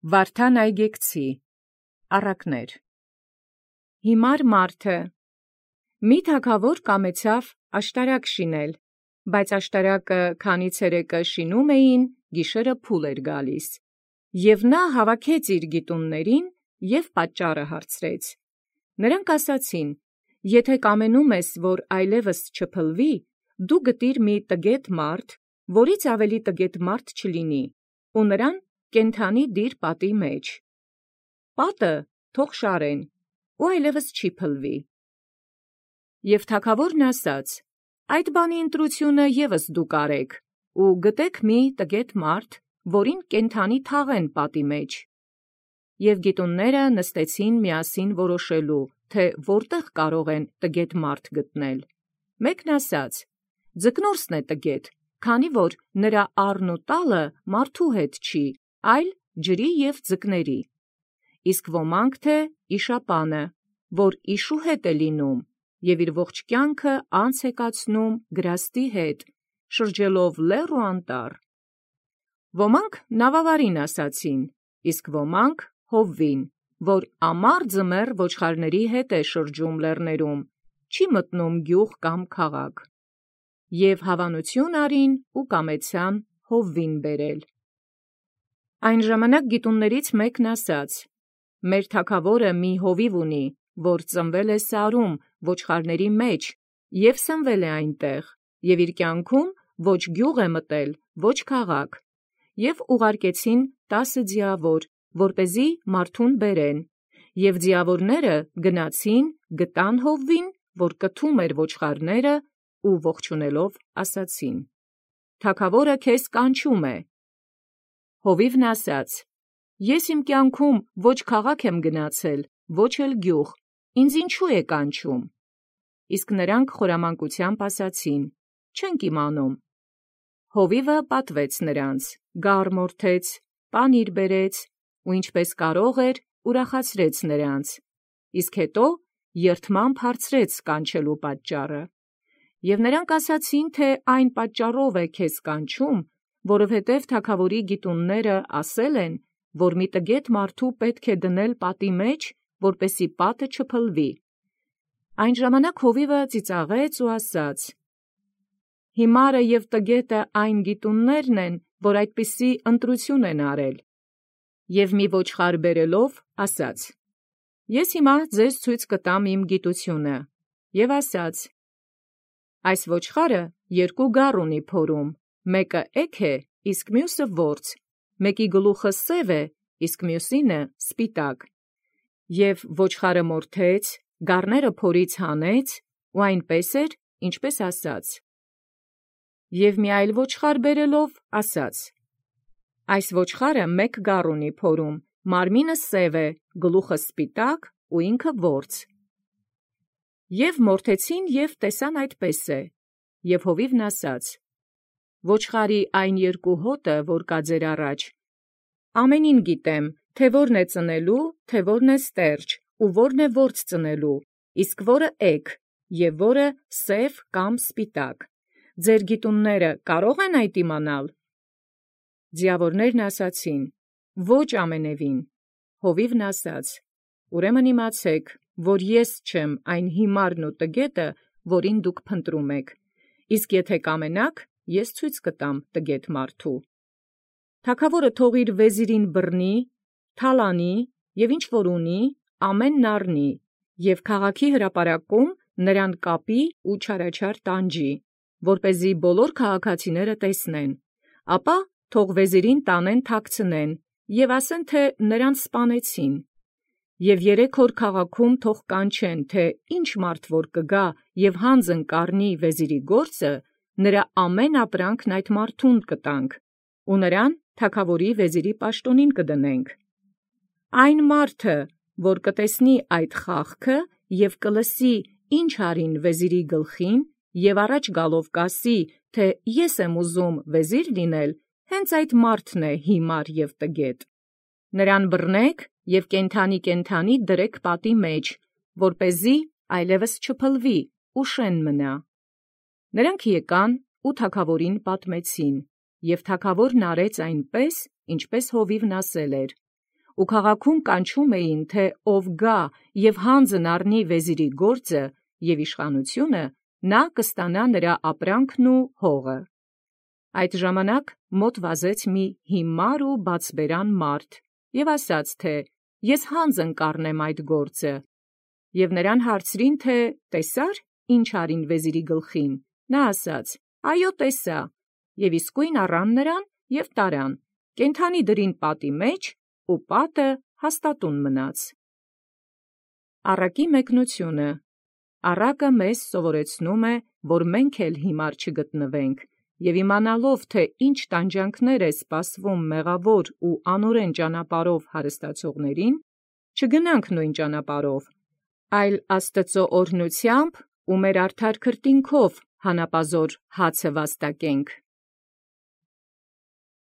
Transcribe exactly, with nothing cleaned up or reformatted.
Վարդան այգեկցի, առակներ։ Հիմար մարդը մի թագավոր կամեցավ աշտարակ շինել, բայց աշտարակը քանի ցերեկը շինում էին, գիշերը փուլ էր գալիս, և նա հավաքեց իր գիտուններին և պատճառը հարցրեց։ Նրանք ասացին. «Եթե կամենում ես, որ այլևս չփլվի, դու գտիր մի տգետ մարդ, որից ավելի տգետ մարդ չլինի, ու նրան կենդանի դիր պատի մեջ։ Պատը թող շարեն, ու այլևս չի փլվի»։ Եւ թագավորն ասաց. «Այդ բանի ընտրությունը ևս դուք արեք, ու գտեք մի տգետ մարդ, որին կենդանի թաղեն պատի մեջ»։ Եւ գիտունները նստեցին միասին որոշելու, թե որտեղ կարող են տգետ մարդ գտնել։ Մեկն ասաց. «Ձկնորսն է տգետ, քանի որ նրա առն ու տալը մարդու հետ չի, այլ ջրի և ձկների։ Իսկ ոմանք թե իշապանը, որ իշու հետ է լինում, և իր ողջ կյանքը անց է կացնում գրաստի հետ, շրջելով լեռ ու անտառ։ Ոմանք նավավարին ասացին, իսկ ոմանք հովվին, որ ամառ ձմեռ ոչխարների հետ է շրջում լեռներում, չի մտնում գյուղ կամ քաղաք։ Եվ հավանություն արին ու կամեցան հովվին բերել։ Այն ժամանակ գիտուններից մեկն ասաց. «Մեր թագավորը մի հովիվ ունի, որ ծնվել է սարում ոչխարների մեջ և սնվել է այնտեղ, և իր կյանքում ոչ գյուղ է մտել, ոչ քաղաք։ Եվ ուղարկեցին տասը ձիավոր, որպեսզի մարդուն բերեն, և ձիավորները գնացին, գտան հովվին, որ կթում էր ոչխարները, ու ողջունելով ասացին. «Թագավորը քեզ կանչում է»։ Հովիվն ասաց. «Ես իմ կյանքում ոչ քաղաք եմ գնացել, ոչ էլ գյուղ, ինձ ինչու է կանչում»։ Իսկ նրանք խորամանկությամբ ասացին. «Չենք իմանում»։ Հովիվը պատվեց նրանց, գառ մորթեց, պանիր բերեց, ու ինչպես կարող էր, ուրախացրեց նրանց, իսկ հետո երդմամբ հարցրեց կանչելու պատճառը։ Եվ նրանք ասացին, թե այն պատճառով է քեզ կանչում, որովհետև թագավորի գիտունները ասել են, որ մի տգետ մարդու պետք է դնել պատի մեջ, որպեսզի պատը չփլվի։ Այն ժամանակ հովիվը ծիծաղեց ու ասաց. «Հիմարը և տգետը այն գիտուններն են, որ այդպիսի ընտրություն են արել»։ Եվ մի ոչխար բերելով ասաց. «Ես հիմա ձեզ ցույց կտամ իմ գիտությունը»։ Եվ ասաց. «Այս ոչխարը երկու գառ ունի փորում, մեկը էգ է, իսկ մյուսը որց, մեկի գլուխը սև է, իսկ մյուսինը սպիտակ»։ Եվ ոչխարը մորթեց, գառները փորից հանեց, ու այնպես էր, ինչպես ասաց։ Եվ մի այլ ոչխար բերելով ասաց. «Այս ոչխարը մեկ գառ ունի փորում, մարմինը սև է, գլուխը սպիտակ ու ինքը որց»։ Եվ մորթեցին և տեսան այդպես է։ Եվ հովիվն ասաց. «Ոչխարի այն երկու հոտը, որ կա ձեր առաջ, ամենին գիտեմ, թե որն է ծնելու, թե որն է ստերջ, ու որն է որց ծնելու, իսկ որը էգ, և որը սև կամ սպիտակ։ Ձեր գիտունները կարո՞ղ են այդ իմանալ»։ Ձիավորներն ասացին. «Ոչ ամենևին»։ Հովիվն ասաց. «Ուրեմն իմացեք, որ ես չեմ այն հիմարն ու տգետը, որին դուք փնտրում եք, իսկ եթե կամենաք, ես ցույց կտամ տգետ մարդու։ Թագավորը թող իր վեզիրին բռնի, թալանի և ինչ որ ունի, ամենն առնի, և քաղաքի հրապարակում նրան կապի ու չարաչար տանջի, որպեսզի բոլոր քաղաքացիները տեսնեն, ապա թող վեզիրին տանեն թաքցնեն և ասեն, թե նրան սպանեցին։ Եվ երեք օր քաղաքում թող կանչեն, թե ինչ մարդ որ կգա և հանձն կառնի վեզիրի գործը, նրա ամեն ապրանքն այդ մարդուն կտանք, ու նրան թագավորի վեզիրի պաշտոնին կդնենք։ Այն մարդը, որ կտեսնի այդ խաղքը և կլսի, ինչ արին վեզիրի գլխին, և առաջ գալով կասի, թե ես եմ ուզում վեզիր լինել, հենց այդ մարդն է հիմար և տգետ։ Նրան բռնեք և կենդանի-կենդանի դրեք պատի մեջ, որպեսզի այլևս չփլվի ու շեն մնա։ Նրանք եկան ու թագավորին պատմեցին, և թագավորն արեց այնպես, ինչպես հովիվն ասել էր։ ու քաղաքում կանչում էին, թէ ով գա եւ հանձն առնի վեզիրի գործը եւ իշխանությունը, նա կստանա նրա ապրանքն ու հողը։ Այդ ժամանակ մոտ վազեց մի հիմար ու բացբերան մարդ եւ ասաց, թէ ես հանձն կառնեմ այդ գործը։ Եւ նրան հարցրին, թէ տեսա՞ր, ինչ արին վեզիրի գլխին։ Նա ասաց. այո, տեսա։ Եւ իսկույն առան նրան եւ տարան, կենդանի դրին պատի մեջ, ու պատը հաստատուն մնաց։ Առակի մեկնությունը։ Առակը մեզ սովորեցնում է, որ մենք էլ հիմար չգտնվենք, եւ իմանալով, թե ինչ տանջանքներ է սպասվում մեղավոր ու անօրեն ճանապարհով հարստացողներին, չգնանք նույն ճանապարհով, այլ Աստծո օրհնութեամբ ու մեր արդար քրտինքով հանապազոր հացը վաստակենք։